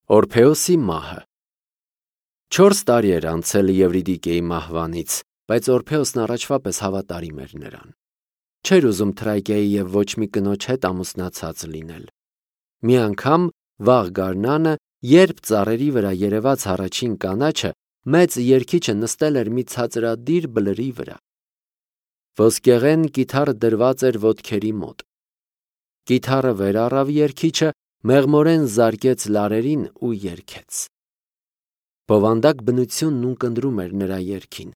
Օրփեոսի մահը 4 տարի էր անցել Եվրիդիկեի մահվանից, բայց Օրփեոսն առաջվա պես հավատարիմ էր նրան։ Չէր ուզում Թրայկիայի և ոչ մի կնոջ հետ ամուսնացած լինել։ Մի անգամ վաղ գարնանը, երբ ծառերի վրա երևաց առաջին կանաչը, մեծ երգիչը նստել էր մի ցածրադիր բլրի վրա։ Ոսկեղեն կիթառը դրված էր ոտքերի մոտ։ Կիթառը վեր առավ երգիչը, մեղմորեն զարկեց լարերին ու երգեց։ Բովանդակ բնությունն ունկնդրում էր նրա երգին։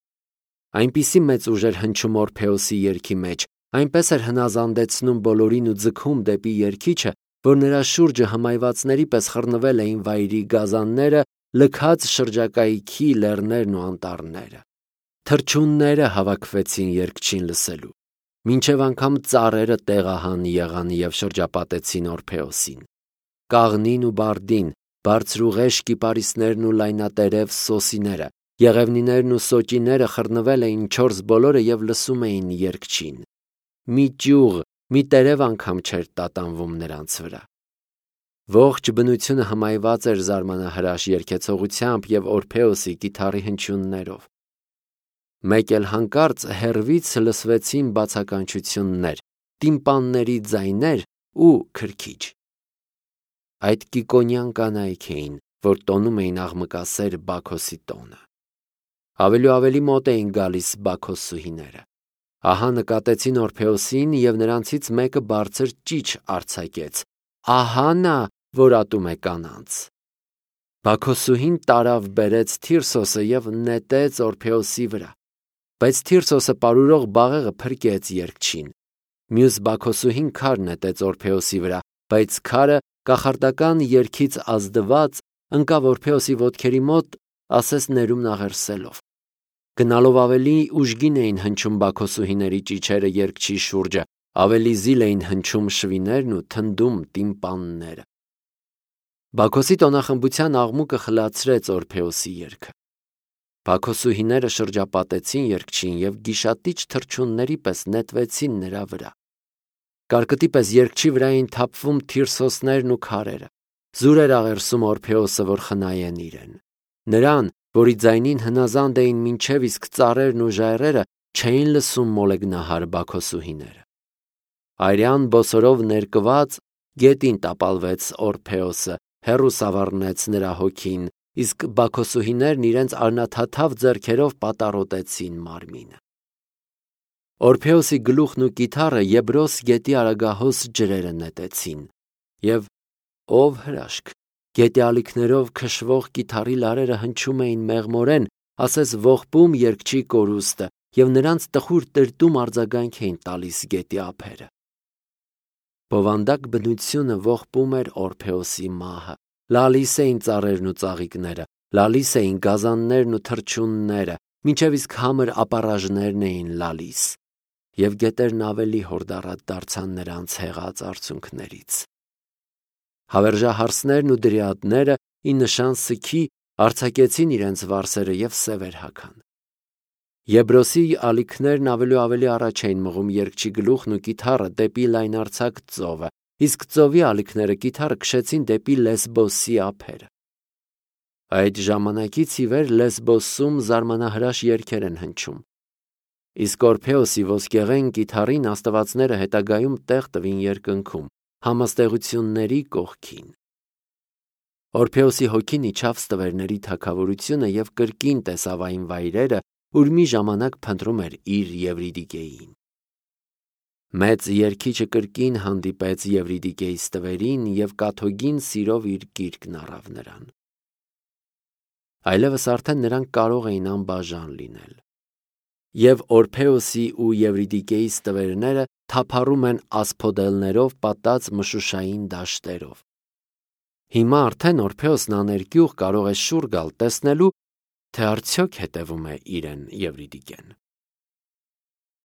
Այնպիսի մեծ ուժ էր հնչում Օրփեոսի երգի մեջ, այնպես էր հնազանդեցնում բոլորին ու ձգում դեպի երգիչը, որ նրա շուրջը հմայվածների պես խռնվել էին վայրի գազանները, լքած շրջակայքի լեռներն ու անտառները։ Թռչունները հավաքվեցին երգչին լսելու, մինչև անգամ ծառերը տեղահան եղան և շրջապատեցին Օրփեոսին։ Կաղնին ու բարդին, բարձրուղեշ կիպարիսներն ու լայնատերև սոսիները, եղևնիներն ու սոճիները խռնվել էին չորս բոլորը և լսում էին երգչին։ Մի ճյուղ, մի տերև անգամ չէր տատանվում նրանց վրա։ Ողջ բնությունը հմայված էր զարմանահրաշ երգեցողությամբ և Օրփեոսի կիթառի հնչյուններով։ Մեկ էլ հանկարծ հեռվից լսվեցին բացականչություններ, տիմպանների ձայներ ու քրքիջ։ Այդ կիկոնյան կանայք էին, որ տոնում էին աղմկասեր Բաքոսի տոնը։ Ավելի ու ավելի մոտ էին գալիս բաքոսուհիները։ Ահա նկատեցին Օրփեոսին և նրանցից մեկը բարձր ճիչ արձակեց. «Ահա նա, որ ատում է կանանց»։ Բաքոսուհին տարավ բերեց Թիրսոսը և նետեց Օրփեոսի վրա, բայց Թիրսոսը պարուրող բաղեղը փրկեց երգչին։ Մյուս բաքոսուհին քար նետեց Օրփեոսի վրա, բայց քարը կախարդական երգից ազդված ընկավ Օրփեոսի ոտքերի մոտ, ասես ներումն աղերսելով։ Գնալով ավելի ուժգին էին հնչում բաքոսուհիների ճիչերը երգչի շուրջը, ավելի զիլ էին հնչում շվիներն ու թնդում տիմպանները։ Բաքոսի տոնախմբության աղմուկը խլացրեց Օրփեոսի երգը։ Բաքոսուհիները շրջապատեցին երգչին և գիշատիչ թռչունների պես նետվեցին նրա վրա։ Կարկտի պես երգչի վրա էին թափվում թիրսոսներն ու քարերը։ Զուր էր աղերսում Օրփեոսը, որ խնայեն իրեն։ Նրան, որի ձայնին հնազանդ էին մինչև իսկ ծառերն ու ժայռերը, չէին լսում մոլեգնահար բաքոսուհիները։ Արյան բոսորով ներկված գետին տապալվեց Օրփեոսը, հեռու սավառնեց նրա հոգին, իսկ բաքոսուհիներն իրենց արնաթաթավ ձեռքերով պատառոտեցին մարմինը։ Օրփեոսի գլուխն ու կիթառը Եբրոս գետի արագահոս ջրերը նետեցին, և ով հրաշք, գետի ալիքներով քշվող կիթառի լարերը հնչում էին մեղմորեն, ասես ողբում երգչի կորուստը, և նրանց տխուր տրտում արձագանք էին տալիս գետի ափերը։ Բովանդակ բնությունը ողբում էր Օրփեոսի մահը, լալիս էին ծառերն ու ծաղիկները, լալիս էին գազաններն ու թռչունները, մինչև իսկ համր ապառաժներն էին լալիս, և գետերն ավելի հորդառատ դարձան նրանց հեղած արցունքներից։ Հավերժահարսներն ու դրիադները ի նշան սգի արձակեցին իրենց վարսերը և սևեր հագան։ Եբրոսի ալիքներն ավելի ու ավելի առաջ էին մղում երգչի գլուխն ու կիթառը դեպի լայնարձակ ծովը, իսկ ծովի ալիքները կիթառը քշեցին դեպի Լեսբոսի ափերը։ Այդ ժամանակից ի վեր Լեսբոսում զարմանահրաշ երգեր են հնչում։ Իսկ Օրփեոսի ոսկեղեն կիթառին աստվածները հետագայում տեղ տվին երկնքում, համաստեղությունների կողքին։ Օրփեոսի հոգին իջավ ստվերների թագավորությունը և կրկին տեսավ այն վայրերը, ուր մի ժամանակ փնտրում էր իր Եվրիդիկեին։ Մեծ երգիչը կրկին հանդիպեց Եվրիդիկեի ստվերին և կաթոգին սիրով իր գիրկն առավ նրան։ Այլևս արդեն նրանք կարող էին անբաժան լինել։ Եվ Օրփեոսի ու Եվրիդիկեի ստվերները թափառում են ասփոդելներով պատած մշուշային դաշտերով։ Հիմա արդեն Օրփեոսն աներկյուղ կարող է շուռ գալ տեսնելու, թե արդյոք հետևում է իրեն Եվրիդիկեն։